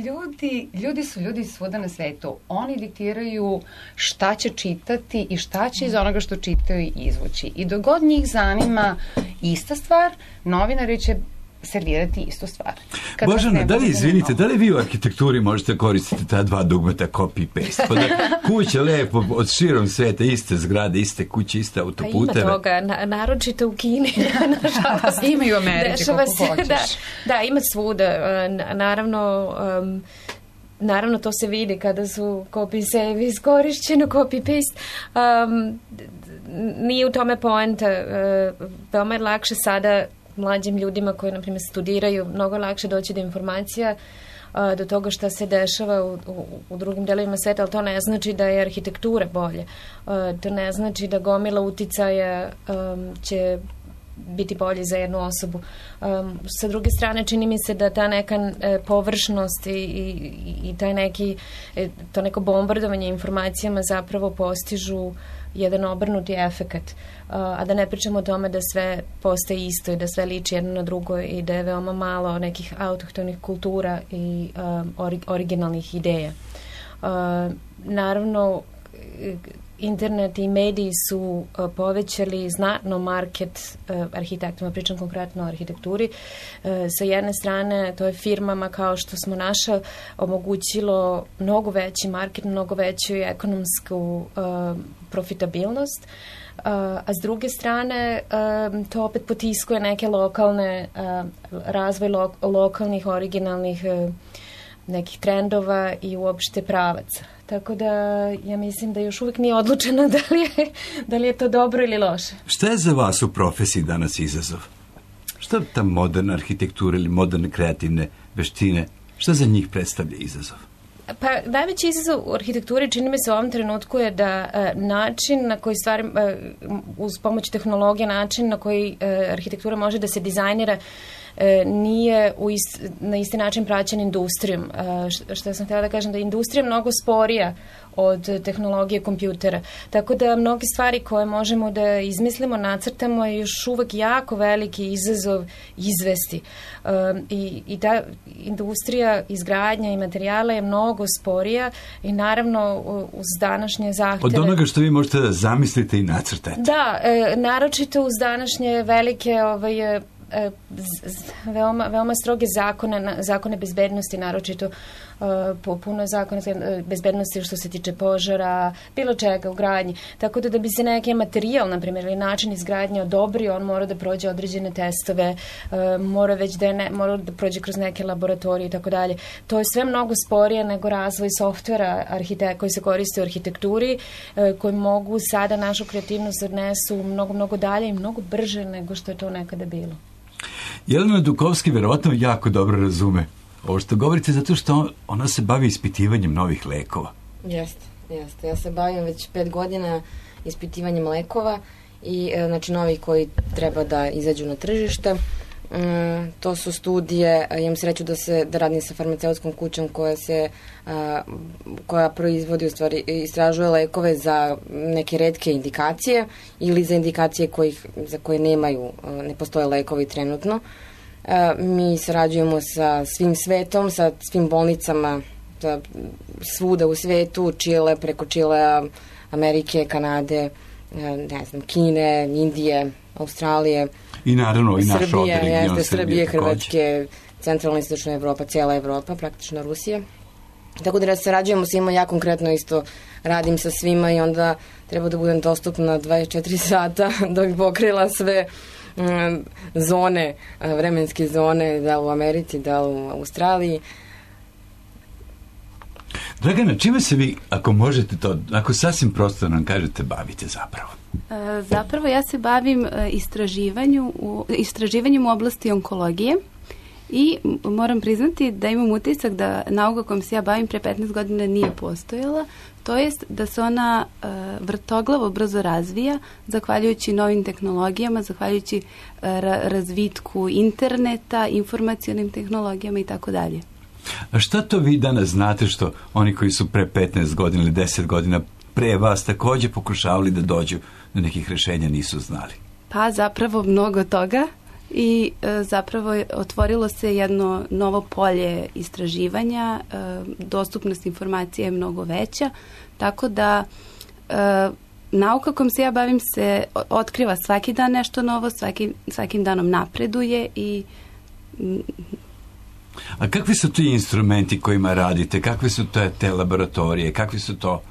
Ljudi, ljudi su ljudi svuda na svetu. Oni diktiraju šta će čitati i šta će iz onoga što čitaju izvući. I dok god njih zanima ista stvar, novinari će servirati istu stvar. Kad Božana, da li, izvinite, da li vi u arhitekturi možete koristiti ta dva dugmeta copy-paste? Pa da kuće lepo od širom sveta, iste zgrade, iste kuće, iste autoputeve. Pa ima toga, na, naročito u Kini. Nažalost, ima i u Americi, kako hoćeš. Da, da, ima svuda. Naravno, um, naravno to se vidi kada su copy-save iskorišćeno, copy-paste. Um, nije u tome poenta. Uh, veoma je lakše sada mlađim ljudima koji, na primjer, studiraju, mnogo lakše doći do informacija, a, do toga šta se dešava u, u, u drugim delovima sveta, ali to ne znači da je arhitektura bolje. A, to ne znači da gomila uticaja um, će biti bolji za jednu osobu. Um, sa druge strane, čini mi se da ta neka e, površnost i, i, i taj neki, e, to neko bombardovanje informacijama zapravo postižu jedan obrnuti efekat, uh, a da ne pričamo o tome da sve postaje isto i da sve liči jedno na drugo i da je veoma malo nekih autohtonih kultura i um, ori, originalnih ideja. Uh, naravno, internet i mediji su uh, povećali znatno market uh, arhitektima, pričam konkretno o arhitekturi. Uh, sa jedne strane, to je firmama kao što smo naša omogućilo mnogo veći market, mnogo veću ekonomsku uh, profitabilnost, uh, a s druge strane uh, to opet potiskuje neke lokalne, uh, razvoj lo, lokalnih, originalnih uh, nekih trendova i uopšte pravaca. Tako da ja mislim da još uvijek nije odlučeno da li je, da li je to dobro ili loše. Šta je za vas u profesiji danas izazov? Šta ta moderna arhitektura ili moderne kreativne veštine, šta za njih predstavlja izazov? Pa najveći izazov u arhitekturi čini mi se u ovom trenutku je da e, način na koji stvari, e, uz pomoć tehnologije, način na koji e, arhitektura može da se dizajnira e, nije u ist, na isti način praćen industrijom. E, što, što sam htjela da kažem, da je industrija mnogo sporija od tehnologije kompjutera. Tako da mnoge stvari koje možemo da izmislimo, nacrtamo je još uvek jako veliki izazov izvesti. Um, i, i ta industrija izgradnja i materijala je mnogo sporija i naravno uz današnje zahteve... Od onoga što vi možete da zamislite i nacrtate. Da, e, naročito uz današnje velike ovaj, e, z, z, veoma, veoma stroge zakone, zakone bezbednosti, naročito puno zakona bezbednosti što se tiče požara, bilo čega u gradnji. Tako da da bi se neki materijal, na primjer, ili način izgradnje odobrio, on mora da prođe određene testove, mora već da, ne, mora da prođe kroz neke laboratorije i tako dalje. To je sve mnogo sporije nego razvoj softvera arhite- koji se koriste u arhitekturi, koji mogu sada našu kreativnost odnesu mnogo, mnogo dalje i mnogo brže nego što je to nekada bilo. Jelena Dukovski verovatno jako dobro razume ovo što govorite, zato što ona se bavi ispitivanjem novih lekova. Jeste, jeste. Ja se bavim već pet godina ispitivanjem lekova i znači novih koji treba da izađu na tržište. Mm, to su studije, imam sreću da se da radim sa farmaceutskom kućom koja se a, koja proizvodi, u stvari istražuje lekove za neke retke indikacije ili za indikacije kojih, za koje nemaju, ne postoje lekovi trenutno. A, mi sarađujemo sa svim svetom, sa svim bolnicama da, svuda u svetu, Čile, preko Čilea, Amerike, Kanade, ne znam, Kine, Indije, Australije, i naravno i naš ovdje region Srbije, Srbije, Srbije Hrvatske, centralna istočna Evropa, cijela Evropa, praktično Rusija. Tako da sarađujemo svima, ja konkretno isto radim sa svima i onda treba da budem dostupna dvadeset četiri sata da bi pokrila sve um, zone, vremenske zone, da u Americi, da u Australiji. Dragana, čime se vi, ako možete to, ako sasvim prosto nam kažete, bavite zapravo? E, zapravo ja se bavim istraživanju u, istraživanjem u oblasti onkologije i moram priznati da imam utisak da nauka kojom se ja bavim pre petnaest godina nije postojala, to jest da se ona e, vrtoglavo brzo razvija zahvaljujući novim tehnologijama, zahvaljujući e, ra, razvitku interneta, informacionim tehnologijama i tako dalje. A šta to vi danas znate što oni koji su pre petnaest godina ili deset godina pre vas također pokušavali da dođu do nekih rješenja nisu znali? Pa zapravo mnogo toga i e, zapravo je, otvorilo se jedno novo polje istraživanja, e, dostupnost informacije je mnogo veća, tako da e, nauka kojom se ja bavim se otkriva svaki dan nešto novo, svaki, svakim danom napreduje i m, A kakvi su ti instrumenti kojima radite? Kakve su te, te laboratorije? Kakvi su to,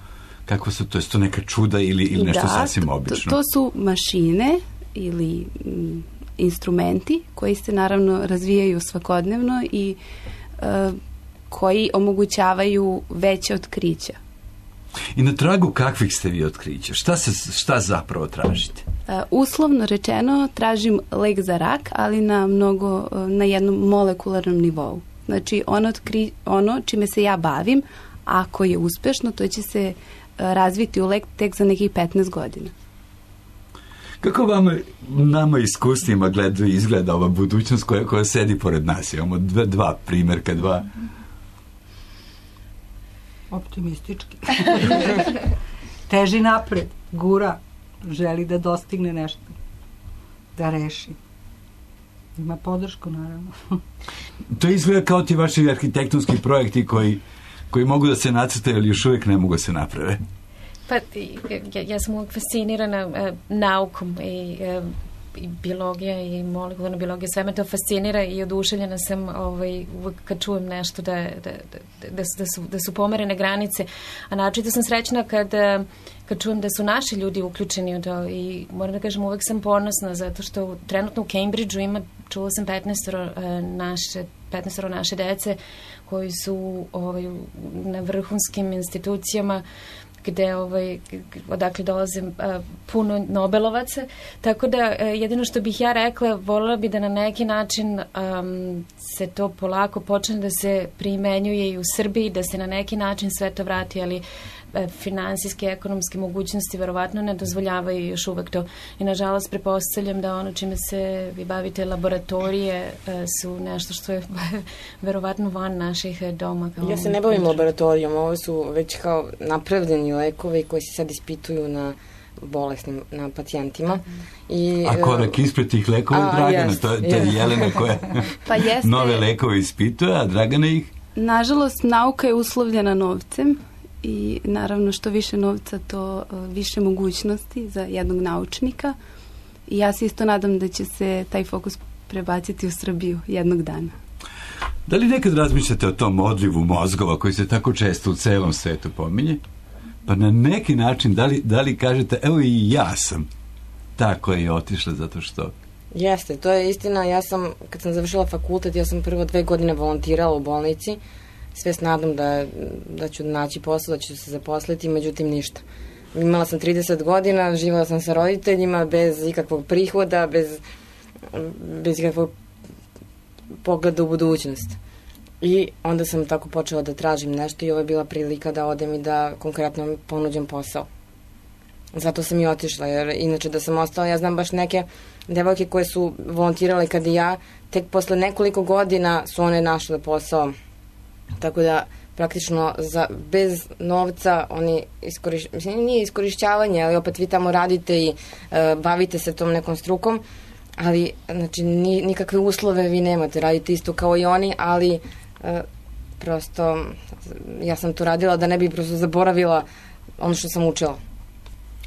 kako su to, je to neka čuda ili, ili nešto da, sasvim obično? To, to su mašine ili m, instrumenti koji se naravno razvijaju svakodnevno i e, koji omogućavaju veće otkrića. I na tragu kakvih ste vi otkrića? Šta, se, šta zapravo tražite? Uh, uslovno rečeno tražim lek za rak, ali na mnogo, na jednom molekularnom nivou. Znači ono, otkri, ono čime se ja bavim, ako je uspešno, to će se uh, razviti u lek tek za nekih petnaest godina. Kako vama, nama iskusnijima gleda, izgleda ova budućnost koja, koja sedi pored nas? Imamo dva, dva primjerka, dva... Optimistički. Teži napred, gura, želi da dostigne nešto, da reši. Ima podršku, naravno. To izgleda kao ti vaši arhitektonski projekti koji, koji mogu da se nacrtaju, ali još uvijek ne mogu da se naprave. Pa ja, ja sam uvijek fascinirana uh, naukom i, uh, i biologija i molekularna biologija, sve me to fascinira i oduševljena sam ovaj, uvijek kad čujem nešto da, da, da, da, da, su, da su pomerene granice, a naročito sam srećna kad, kad čujem da su naši ljudi uključeni u to i moram da kažem uvijek sam ponosna zato što trenutno u Cambridgeu ima, čula sam petnaest naše, petnaest naše dece koji su ovaj, na vrhunskim institucijama gde ovaj, odakle dolaze a, puno Nobelovaca, tako da a, jedino što bih ja rekla, voljela bi da na neki način um, se to polako počne da se primenjuje i u Srbiji, da se na neki način sve to vrati, ali a, finansijske, ekonomske mogućnosti verovatno ne dozvoljavaju još uvek to. I nažalost prepostavljam da ono čime se vi bavite laboratorije a, su nešto što je verovatno van naših doma. Ja se ne bavim laboratorijom, ovo su već kao napravljeni lekovi koji se sad ispituju na bolesnim, na pacijentima. I, a korak ispred tih lekova, Dragana, jest, to, to je jest. Jelena koja pa jeste, nove lekove ispituje, a Dragana ih? Nažalost, nauka je uslovljena novcem i naravno što više novca, to više mogućnosti za jednog naučnika i ja se isto nadam da će se taj fokus prebaciti u Srbiju jednog dana. Da li nekad razmišljate o tom odlivu mozgova koji se tako često u celom svetu pominje? Pa na neki način, da li, da li kažete, evo i ja sam tako je otišla zato što... Jeste, to je istina. Ja sam, kad sam završila fakultet, ja sam prvo dve godine volontirala u bolnici, sve s nadom da, da ću naći posao, da ću se zaposliti, međutim ništa. Imala sam trideset godina, živjela sam sa roditeljima, bez ikakvog prihoda, bez, bez ikakvog pogleda u budućnost. I onda sam tako počela da tražim nešto i ovo je bila prilika da odem i da konkretno ponuđem posao. Zato sam i otišla, jer inače da sam ostala, ja znam baš neke devojke koje su volontirale kad i ja, tek posle nekoliko godina su one našle posao. Tako da praktično za, bez novca oni iskoriš, mislim, nije iskorišćavanje, ali opet vi tamo radite i e, bavite se tom nekom strukom, ali znači ni, nikakve uslove vi nemate, radite isto kao i oni, ali e, prosto ja sam to radila da ne bi prosto zaboravila ono što sam učila.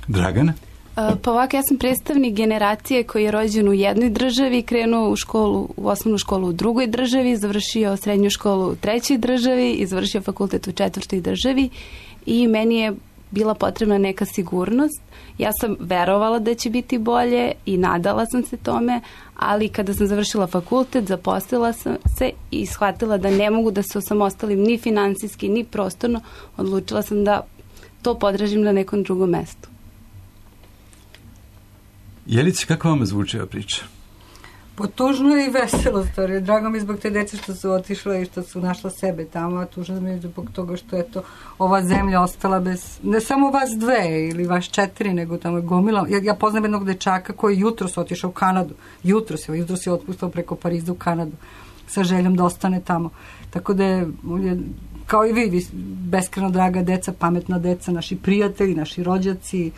Dragana? Pa ovako, ja sam predstavnik generacije koji je rođen u jednoj državi, krenuo u školu, u osnovnu školu u drugoj državi, završio srednju školu u trećoj državi i završio fakultet u četvrtoj državi i meni je bila potrebna neka sigurnost. Ja sam verovala da će biti bolje i nadala sam se tome, ali kada sam završila fakultet, zaposlila sam se i shvatila da ne mogu da se osamostalim ni finansijski, ni prostorno. Odlučila sam da to podražim na nekom drugom mestu. Jelice, kako vam zvuči ova priča? Pa tužno i veselo stvari. Drago mi zbog te dece što su otišle i što su našla sebe tamo, a tužno mi zbog toga što je to ova zemlja ostala bez, ne samo vas dve ili vas četiri, nego tamo je gomila. Ja, ja poznam jednog dečaka koji jutro su otišao u Kanadu. Jutro se, jutro se otpustao preko Pariza u Kanadu sa željom da ostane tamo. Tako da je, je kao i vi, vi beskreno draga deca, pametna deca, naši prijatelji, naši rođaci.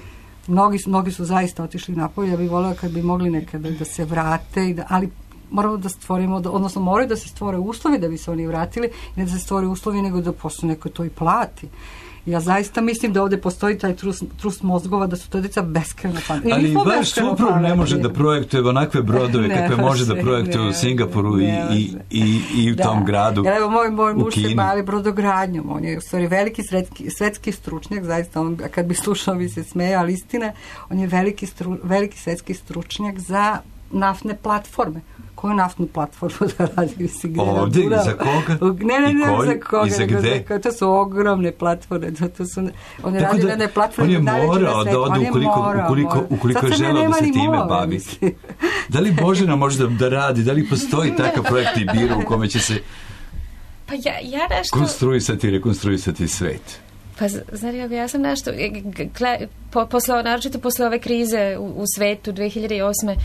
Mnogi, mnogi su zaista otišli napolje, ja bih voljela kad bi mogli nekada da se vrate, i da, ali moramo da stvorimo, da, odnosno moraju da se stvore uslovi da bi se oni vratili, ne da se stvore uslovi, nego da posle neko to i plati. Ja zaista mislim da ovde postoji taj trust, trust mozgova, da su to deca beskreno pametni. Ali baš suprug ne može da projektuje onakve brodove ne, kakve može da projektuje ne, u Singapuru ne, i, i, i u da. tom gradu. Ja, evo, moj, moj muž se bavi brodogradnjom, on je u stvari veliki svetski, svetski stručnjak, zaista, on, kad bi slušao bi se smeja, ali istina, on je veliki, stru, veliki svetski stručnjak za naftne platforme. Koju naftnu platformu da radi? Ovdje, i za koga? Ne, ne, ne, koji, za koga. I za gde? To su ogromne platforme. To su, on je Tako radi da, na platforme. On je morao da ode ukoliko, morao, ukoliko, ukoliko je želeo da se time mora, bavi. Mislim. Da li Božena može da, da radi? Da li postoji takav projekt i biro u kome će se pa ja, ja nešto... konstruisati i rekonstruisati svet? Pa, znači, ja sam nešto, po, posle, naročito posle ove krize u, u svetu dve hiljade osme.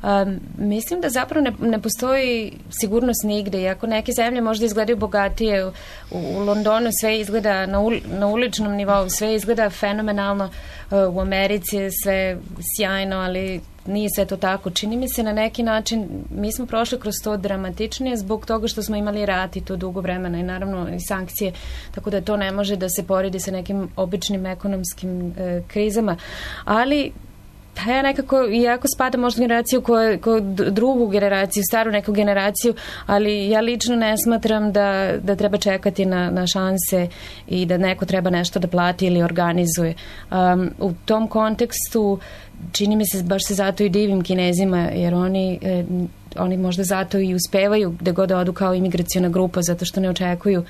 Um, mislim da zapravo ne, ne postoji sigurnost nigde. Iako neke zemlje možda izgledaju bogatije, u, u Londonu sve izgleda na, ul, na uličnom nivou, sve izgleda fenomenalno, uh, u Americi je sve sjajno, ali nije sve to tako. Čini mi se na neki način, mi smo prošli kroz to dramatičnije zbog toga što smo imali rat i to dugo vremena i naravno i sankcije, tako da to ne može da se poredi sa nekim običnim ekonomskim e, krizama. Ali pa ja nekako, iako spada možda generaciju koju, koju drugu generaciju, staru neku generaciju, ali ja lično ne smatram da, da treba čekati na, na šanse i da neko treba nešto da plati ili organizuje. Um, u tom kontekstu čini mi se, baš se zato i divim Kinezima, jer oni, eh, oni možda zato i uspevaju gde god odu kao imigraciona grupa, zato što ne očekuju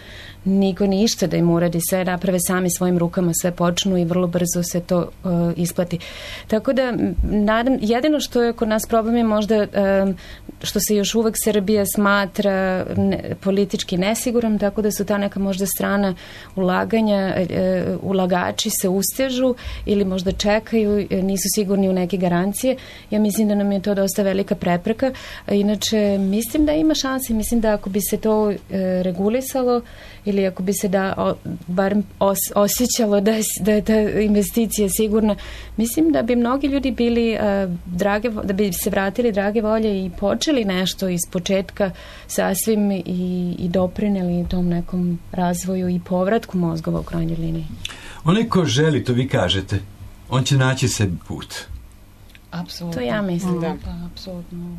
niko ništa da im uradi, sve naprave sami svojim rukama, sve počnu i vrlo brzo se to uh, isplati. Tako da, nadam, jedino što je kod nas problem je možda um, što se još uvek Srbija smatra ne, politički nesiguran, tako da su ta neka možda strana ulaganja, uh, ulagači se ustežu ili možda čekaju, nisu sigurni u neke garancije. Ja mislim da nam je to dosta velika prepreka. Inače, mislim da ima šanse, mislim da ako bi se to uh, regulisalo ili ako bi se da o, barem os, osjećalo da je, da je ta investicija sigurna, mislim da bi mnogi ljudi bili uh, drage, da bi se vratili drage volje i počeli nešto iz početka sasvim i, i doprineli tom nekom razvoju i povratku mozgova u krajnjoj liniji. Onaj ko želi, to vi kažete, on će naći sebi put. Apsolutno. To ja mislim. Da, apsolutno.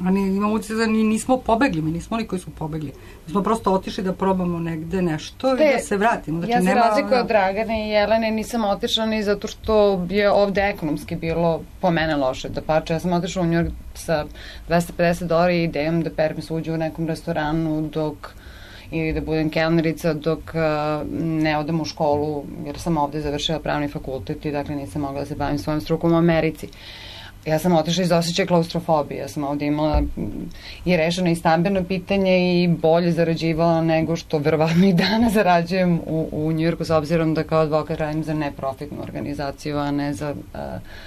Ali imamo utisak da nismo pobegli, mi nismo oni koji su pobegli. Mi smo prosto otišli da probamo negde nešto Te, i da se vratimo. Znači, ja se nema, razlikuju od Dragane i Jelene, nisam otišla ni zato što je ovde ekonomski bilo po mene loše. Da pače, ja sam otišla u New York sa dvesta pedeset dolara i idejom da perem suđu u nekom restoranu dok ili da budem kelnerica dok uh, ne odem u školu, jer sam ovde završila pravni fakultet i dakle nisam mogla da se bavim svojom strukom u Americi. Ja sam otišla iz osjećaja klaustrofobije. Ja sam ovde imala i rešeno i stambeno pitanje i bolje zarađivala nego što verovatno i dana zarađujem u, u Njujorku, s obzirom da kao advokat radim za neprofitnu organizaciju, a ne za uh,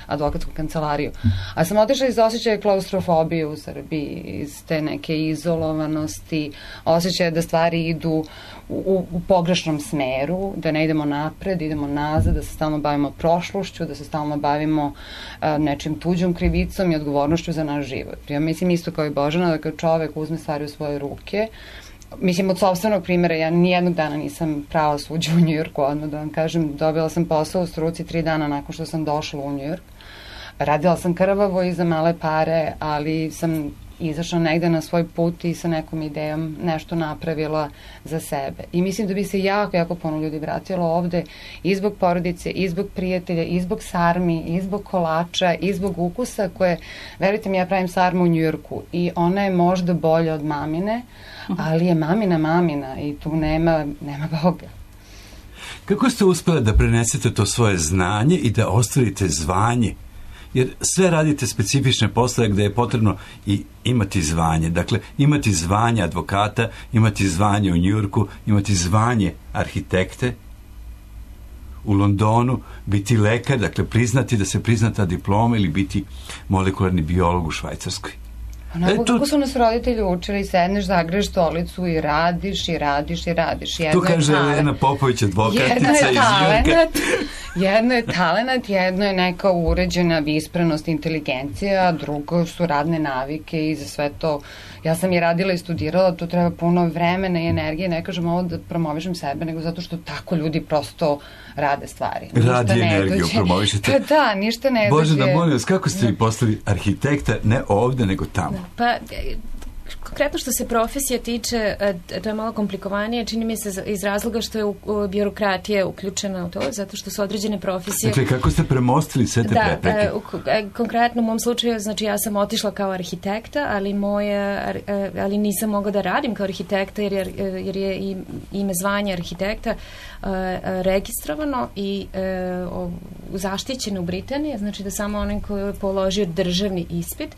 advokatsku kancelariju. A sam otišla iz osjećaja klaustrofobije u Srbiji, iz te neke izolovanosti, osjećaja da stvari idu U, u pogrešnom smeru, da ne idemo napred, idemo nazad, da se stalno bavimo prošlošću, da se stalno bavimo uh, nečim tuđom krivicom i odgovornošću za naš život. Ja mislim isto kao i Božana, da kad čovek uzme stvari u svoje ruke, mislim od sopstvenog primjera, ja nijednog dana nisam prava suđa u Njujorku, odmah da vam kažem, dobila sam posao u struci tri dana nakon što sam došla u Njujork. Radila sam krvavo i za male pare, ali sam izašla negde na svoj put i sa nekom idejom nešto napravila za sebe. I mislim da bi se jako, jako puno ljudi vratilo ovde i zbog porodice, i zbog prijatelja, i zbog sarmi, i zbog kolača, i zbog ukusa koje, verujte mi, ja pravim sarmu u Njujorku i ona je možda bolja od mamine, ali je mamina mamina i tu nema, nema Boga. Kako ste uspeli da prenesete to svoje znanje i da ostvarite zvanje? Jer sve radite specifične poslove gde je potrebno i imati zvanje. Dakle, imati zvanje advokata, imati zvanje u Njujorku, imati zvanje arhitekte u Londonu, biti lekar, dakle priznati da se prizna ta diploma ili biti molekularni biolog u Švajcarskoj. Onako, kako su nas roditelji učili, sedneš, zagreš stolicu i radiš, i radiš, i radiš. Jedno tu kaže Elena Popović, advokatica iz Njujorka. Jedno je talenat, jedno je neka uređena visprenost, inteligencija, a drugo su radne navike i za sve to. Ja sam je radila i studirala, tu treba puno vremena i energije, ne kažem ovo da promovišem sebe, nego zato što tako ljudi prosto rade stvari. Radi energiju, promovišete. Pa da, ništa ne dođe. Bože, da molim vas, kako ste vi postali arhitekta, ne ovde, nego tamo? Pa, konkretno što se profesije tiče, to je malo komplikovanije, čini mi se iz razloga što je birokratija uključena u to, zato što su određene profesije... Dakle, kako ste premostili sve te da, prepreke? Da, konkretno u mom slučaju, znači ja sam otišla kao arhitekta, ali moje, ali nisam mogla da radim kao arhitekta, jer, jer je ime zvanja arhitekta registrovano i zaštićeno u Britaniji, znači da samo onaj koji je položio državni ispit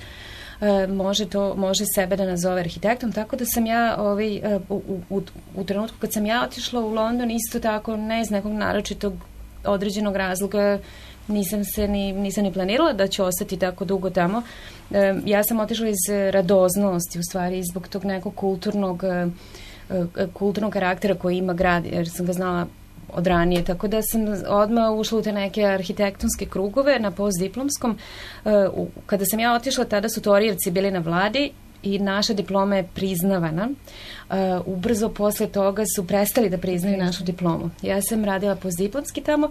može to može sebe da nazove arhitektom, tako da sam ja ovaj, u, u, u trenutku kad sam ja otišla u London, isto tako ne iz nekog naročitog određenog razloga nisam se ni, nisam ni planirala da ću ostati tako dugo tamo. Ja sam otišla iz radoznosti, u stvari zbog tog nekog kulturnog kulturnog karaktera koji ima grad, jer sam ga znala od ranije, tako da sam odmah ušla u te neke arhitektonske krugove na postdiplomskom. Kada sam ja otišla, tada su Torijevci bili na vladi i naša diploma je priznavana. Uh, ubrzo posle toga su prestali da priznaju našu diplomu. Ja sam radila postdiplomski tamo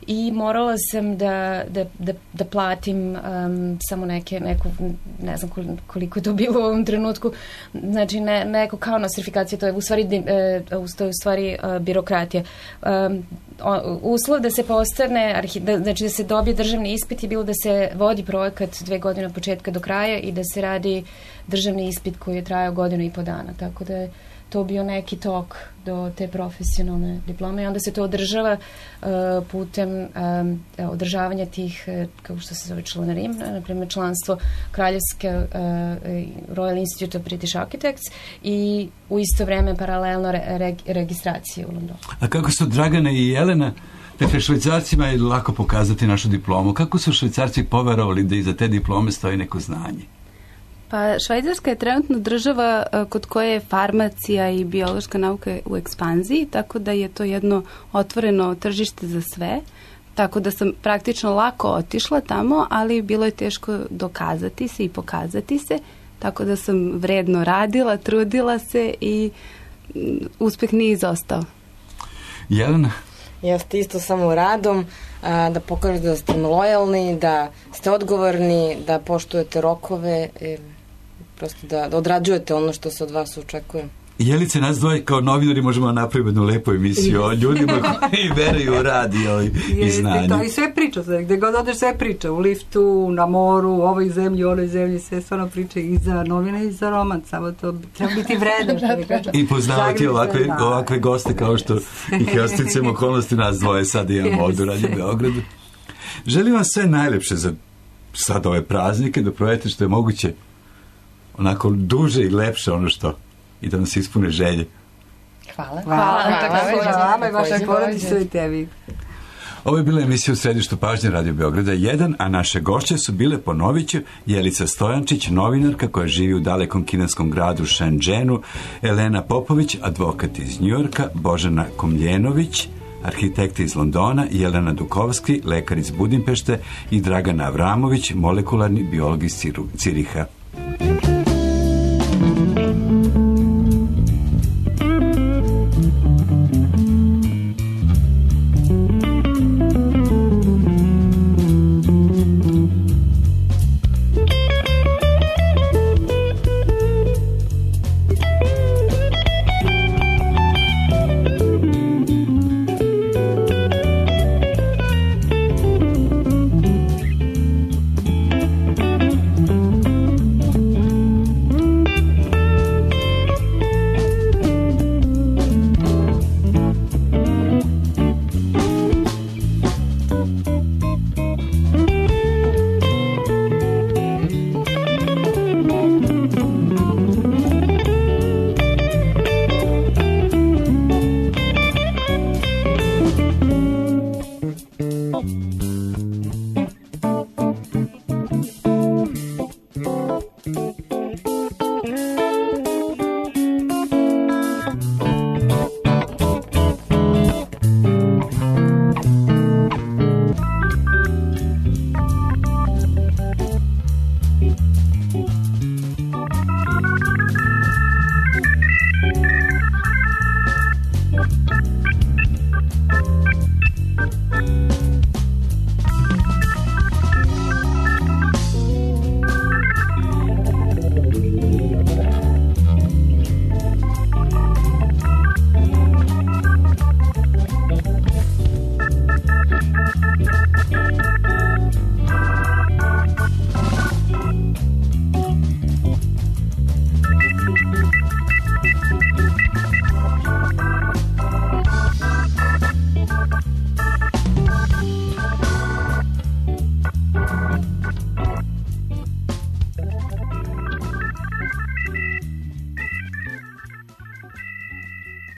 i morala sam da, da, da, da platim um, samo neke, neku, ne znam koliko je to bilo u ovom trenutku, znači ne, neko kao nostrifikacija, to je u stvari, uh, to je u stvari uh, birokratija. Um, uslov da se postane, arhi, da, znači da se dobije državni ispit je bilo da se vodi projekat dve godine od početka do kraja i da se radi državni ispit koji je trajao godinu i po dana, tako da je to bio neki tok do te profesionalne diplome i onda se to održava uh, putem um, održavanja tih, uh, kako što se zove članarim, na primjer članstvo Kraljevske uh, Royal Institute of British Architects i u isto vreme paralelno re, re, registracije u Londonu. A kako su Dragana i Jelena, dakle Švajcarcima je lako pokazati našu diplomu, kako su Švajcarci poverovali da iza te diplome stoji neko znanje? Pa Švajcarska je trenutno država kod koje je farmacija i biološka nauka u ekspanziji, tako da je to jedno otvoreno tržište za sve, tako da sam praktično lako otišla tamo, ali bilo je teško dokazati se i pokazati se, tako da sam vredno radila, trudila se i uspeh nije izostao. Jelena? Jeste isto samo radom, a, da pokažete da ste lojalni, da ste odgovorni, da poštujete rokove. E, prosto da, da odrađujete ono što se od vas očekuje. Jelice, nas dvoje kao novinari možemo napraviti jednu lepu emisiju o ljudima koji veruju u rad i, i znanje. To i sve priča, gde god odeš sve priča, u liftu, na moru, u ovoj zemlji, u onoj zemlji, sve stvarno priče i za novine i za roman, samo to treba biti vredan, što mi kažem. I poznavati ovakve, da. ovakve goste kao što ih ja sticam okolnosti nas dvoje sad imamo ovdje u Radio Beogradu. Želim vam sve najlepše za sad ove praznike, da provedete što je moguće onako duže i lepše ono što i da nam se ispune želje. Hvala. Hvala. Hvala vama i vašoj porodici i tebi. Ovo je bila emisija u središtu pažnje Radio Beograda jedan, a naše gošće su bile, ponovit ću, Jelica Stojančić, novinarka koja živi u dalekom kineskom gradu Shenzhenu, Elena Popović, advokat iz Njujorka, Božana Komljenović, arhitekta iz Londona, Jelena Dukovski, lekar iz Budimpešte i Dragana Avramović, molekularni biolog iz Ciriha. Thank you.